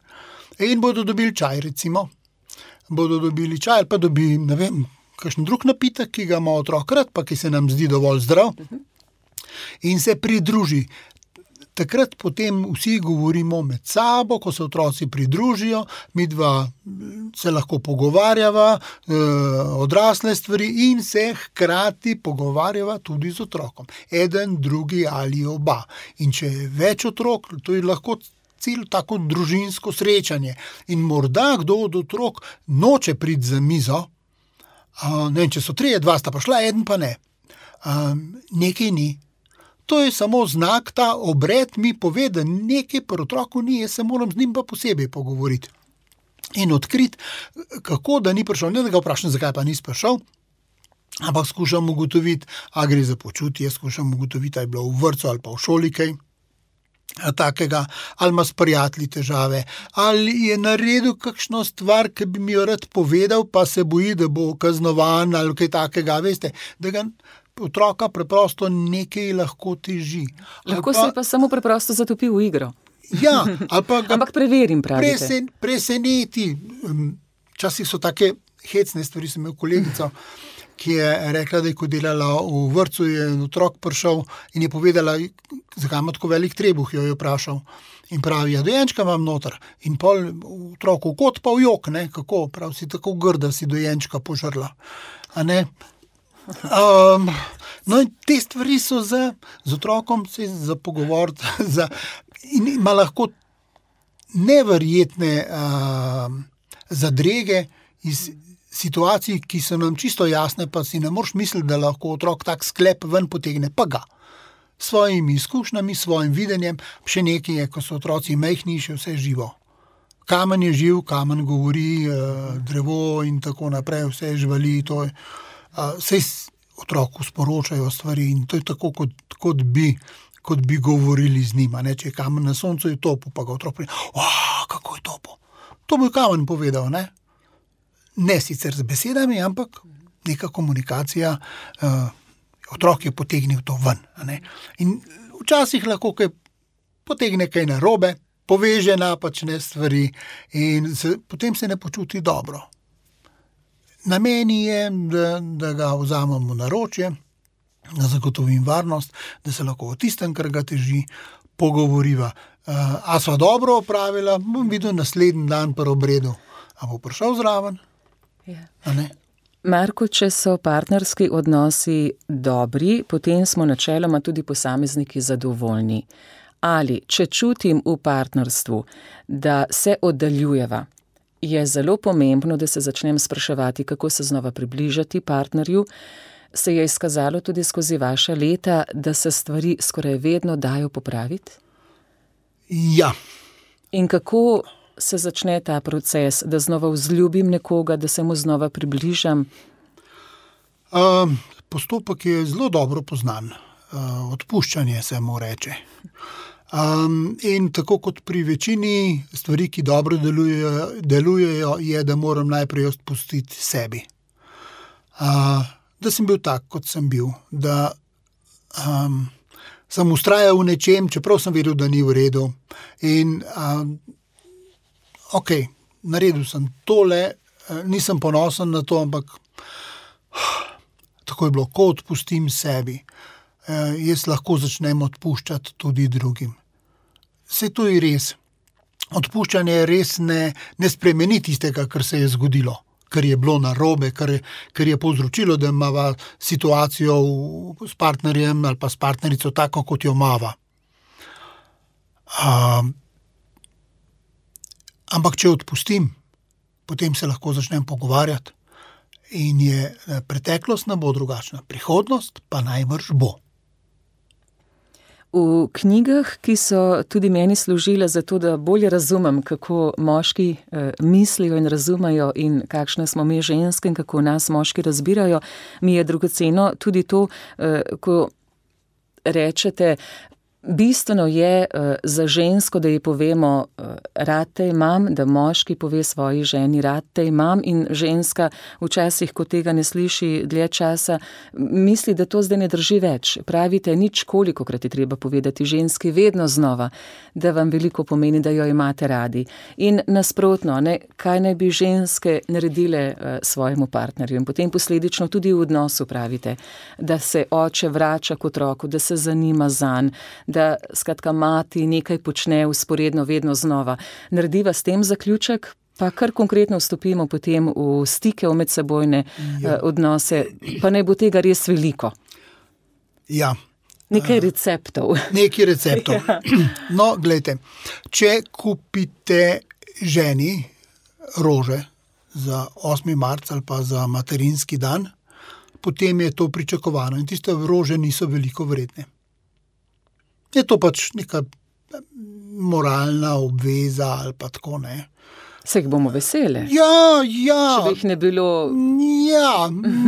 In bodo dobili čaj, recimo. Bodo dobili čaj, ali pa dobi, kakšen drug napitek, ki ga ima otrok rad, pa ki se nam zdi dovolj zdrav. In se pridruži. Takrat potem vsi govorimo med sabo, ko se otroci pridružijo, midva se lahko pogovarjava, odrasle stvari in se hkrati pogovarjava tudi z otrokom. Eden, drugi ali oba. In če je več otrok, to je lahko celo tako družinsko srečanje. In morda kdo od otrok noče priti za mizo, ne vem, če so 3, 2 sta pa šla, eden pa ne. Nekaj ni. To je samo znak, ta obred mi pove, da nekaj pri otroku ni, jaz se moram z njim pa posebej pogovoriti. In odkriti, kako da ni prišel, ne da ga vprašam, zakaj pa nisi prišel, ampak skušam ugotoviti, a gre za počutje, skušam ugotoviti, a je bilo v vrtcu ali pa v šoli kaj takega, ali ima s prijatelji težave, ali je naredil kakšno stvar, ki bi mi jo rad povedal, pa se boji, da bo kaznovan ali kaj takega, veste, da ga otroka preprosto nekaj lahko teži. Lahko se pa samo preprosto zatopi v igro. Ja, ali pa ga ampak preverim, pravite. Preseneti. Včasih so take hecne stvari, sem imel kolegico, ki je rekla, da je ko delala v vrtcu, je otrok prišel in je povedala, zakaj ima tako velik trebuh, jo je vprašal. In pravi, dojenčka imam noter. In pol otroku kot pa v jok, ne, kako, prav si tako grda, si dojenčka požrla. A ne? No in te stvari so z otrokom se za pogovoriti in ima lahko neverjetne zadrege iz situacij, ki so nam čisto jasne, pa si ne moreš misliti, da lahko otrok tak sklep ven potegne, pa ga. S svojimi izkušnjami, svojim videnjem, še nekaj je, ko so otroci majhni, še vse živo. Kamen je živ, kamen govori, drevo in tako naprej, vse živali, to je. Sej otroku sporočajo stvari in to je tako, kot bi govorili z njima. Ne? Če je kamen na soncu, je topo, pa ga otrok pride, kako je topo. To bo je kamen povedal, ne? Ne sicer z besedami, ampak neka komunikacija, otrok je potegnil to ven. Ne? In včasih lahko kaj potegne kaj narobe, poveže napačne stvari in potem se ne počuti dobro. Na meni je, da ga vzamem v naročje, da zagotovim varnost, da se lahko o tistem, kar ga teži, pogovoriva. A sva dobro opravila, bom videl naslednji dan pri obredu. A bo prišel zraven? Ja. A ne? Marko, če so partnerski odnosi dobri, potem smo načeloma tudi posamezniki zadovoljni. Ali, če čutim v partnerstvu, da se oddaljujeva, je zelo pomembno, da se začnem spraševati, kako se znova približati partnerju, se je izkazalo tudi skozi vaša leta, da se stvari skoraj vedno dajo popraviti? Ja. In kako se začne ta proces, da znova vzljubim nekoga, da se mu znova približam? Postopek je zelo dobro poznan. Odpuščanje se mu reče. In tako kot pri večini stvari, ki dobro delujejo, je, da moram najprej odpustiti sebi. Da sem bil tak, kot sem bil, da sem vztrajal v nečem, čeprav sem vedel, da ni v redu. In naredil sem tole, nisem ponosen na to, ampak tako je bilo, ko odpustim sebi, jaz lahko začnem odpuščati tudi drugim. Saj to je res. Odpuščanje res ne spremeni tistega, kar se je zgodilo, kar je bilo narobe, kar je povzročilo, da imava situacijo s partnerjem ali pa s partnerico tako, kot jo imava. Ampak če odpustim, potem se lahko začnem pogovarjati in je preteklost ne bo drugačna, prihodnost pa najbrž bo. V knjigah, ki so tudi meni služile za to, da bolje razumem, kako moški mislijo in razumejo in kakšne smo mi ženske in kako nas moški razbirajo, mi je dragoceno tudi to, ko rečete, bistveno je za žensko, da ji povemo, rad te imam, da moški pove svoji ženi, rad te imam, in ženska včasih, ko tega ne sliši dlje časa, misli, da to zdaj ne drži več. Pravite, nič kolikokrat je treba povedati ženski vedno znova, da vam veliko pomeni, da jo imate radi. In nasprotno, kaj naj bi ženske naredile svojemu partnerju in potem posledično tudi v odnosu pravite, da se oče vrača k otroku, da se zanima zanj, da skratka mati nekaj počne vzporedno vedno znova. Narediva s tem zaključek, pa kar konkretno vstopimo potem v stike, v medsebojne odnose, pa naj bo tega res veliko. Ja. Nekaj receptov. Nekaj receptov. Ja. No, glejte, če kupite ženi rože za 8. marec ali pa za materinski dan, potem je to pričakovano in tiste rože niso veliko vredne. Je to pač neka moralna obveza ali pa tako, ne. Se jih bomo vesele. Ja. Če bi jih ne bilo...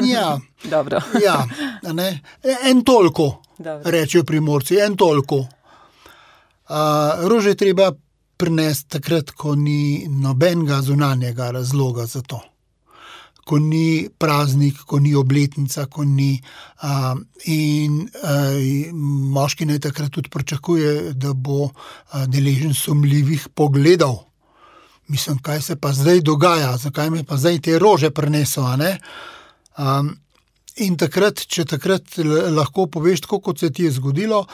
Ja. Dobro. Ja, ne. En toliko, Dobro. Rečejo Primorci, en toliko. Rože treba prinesti takrat, ko ni nobenega zunanjega razloga za to. Ko ni praznik, ko ni obletnica, ko ni... moški naj takrat tudi pričakuje, da bo deležen sumljivih pogledov. Mislim, kaj se pa zdaj dogaja, zakaj me pa zdaj te rože prinesel, a ne? In takrat, če takrat lahko poveš, tako kot se ti je zgodilo,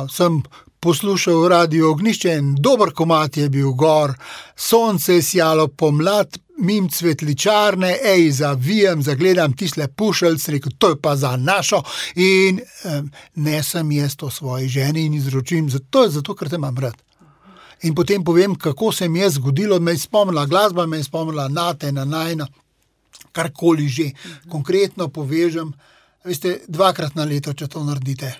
sem poslušal Radio Ognjišče, en dober komad je bil gor, sonce je sijalo pomlad, mim cvetličarne, zavijem, zagledam tisle pušelc, rekel, to je pa za našo, in nesem jaz to svoji ženi in izročim, zato ker te imam rad. In potem povem, kako se mi je zgodilo, me je spomnila glasba, me je spomnila nate, na najno, karkoli že. Konkretno povežem, veste, 2-krat na leto, če to naredite,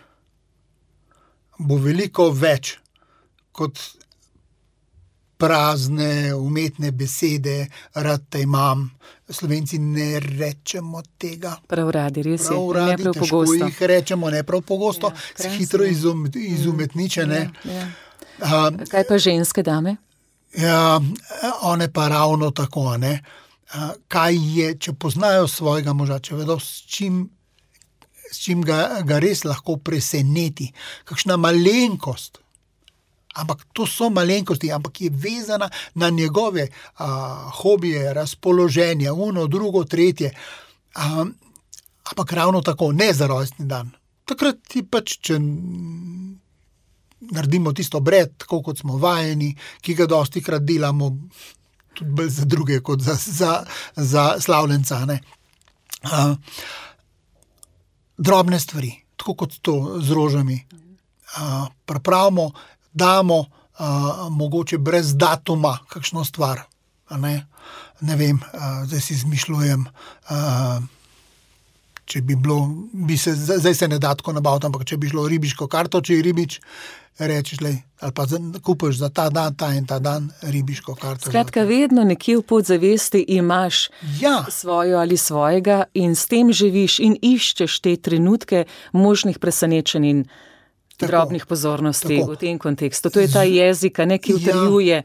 bo veliko več kot prazne, umetne besede, rad te imam. Slovenci ne rečemo tega. Prav radi, res je. Prav radi, težko pogosto. Jih rečemo, ne prav pogosto, hitro izumetničene. Ja. Kaj pa ženske dame? Ja, one pa ravno tako, ne. Kaj je, če poznajo svojega moža, če vedo, s čim ga res lahko preseneti, kakšna malenkost, ampak to so malenkosti, ampak je vezana na njegove hobije, razpoloženja, drugo, tretje, ampak ravno tako, ne za rojstni dan. Takrat ti pač, če naredimo tisto obred, tako kot smo vajeni, ki ga dostikrat delamo tudi bolj za druge kot za slavljenca, ne. Drobne stvari, tako kot to z rožami. Pripravimo, damo mogoče brez datuma kakšno stvar. a ne. Ne vem, zdaj si izmišljujem, če bi bilo, zdaj se ne da tako nabaviti, ampak če bi šlo ribiško karto, če je ribič, rečeš, ali pa kupiš za ta dan, ta in ta dan ribiško karto. Skratka, vedno nekje v podzavesti imaš svojo ali svojega in s tem živiš in iščeš te trenutke možnih presenečenj in drobnih pozornosti v tem kontekstu. To je ta jezik, ki utrjuje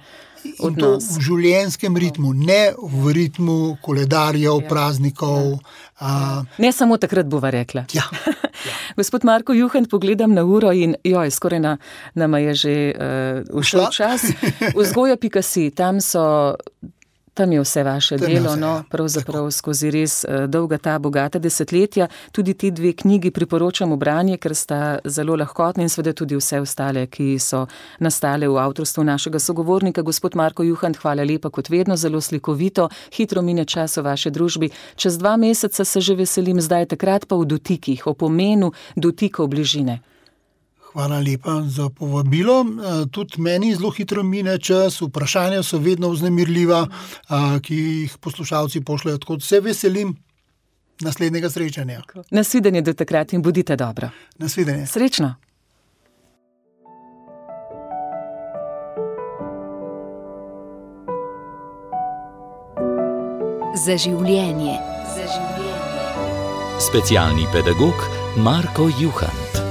odnos. In to v življenjskem ritmu, ne v ritmu koledarjev, praznikov. Ne samo takrat bova rekla. Ja. Gospod Marko Juhant, pogledam na uro in skoraj nama je že ušel čas. Vzgoja.si, tam je vse vaše delo, pravzaprav skozi res dolga ta bogata desetletja. Tudi ti 2 knjigi priporočam v branje, ker sta zelo lahkotni in seveda tudi vse ostale, ki so nastale v avtorstvu našega sogovornika. Gospod Marko Juhant, hvala lepa kot vedno, zelo slikovito, hitro mine čas v vaši družbi. Čez 2 meseca se že veselim, zdaj takrat pa v dotikih, o pomenu dotikov bližine. Hvala lepa za povabilo. Tudi meni zelo hitro mine čas, vprašanja so vedno vznemirljiva, ki jih poslušalci pošljajo, tako da se veselim naslednjega srečanja. Nasvidenje do takrat in bodite dobro. Nasvidenje. Srečno. Za življenje. Specialni pedagog Marko Juhant.